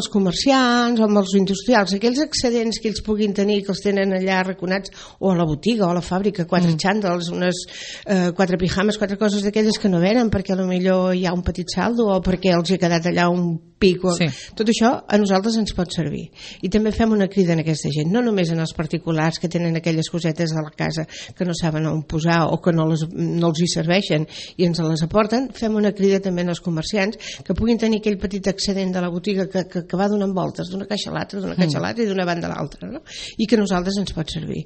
els comerciants o amb els industrials, aquells excedents que ells puguin tenir, que els tenen allà arraconats, o a la botiga o a la fàbrica, 4 xàndals, unes 4 pijames, 4 coses d'aquelles que no venen perquè potser hi ha un petit saldo o perquè els hi ha quedat allà un pico. Tot això a nosaltres ens pot servir. I també fem una crida en aquesta gent, no només en els particulars que tenen aquelles cosetes a la casa que no saben on posar o que no els hi serveixen i ens les aporten, fem una crida també als comerciants que puguin tenir aquell petit excedent de la botiga que va donant voltes d'una caixa a l'altra i d'una banda a l'altra, no? I que a nosaltres ens pot servir.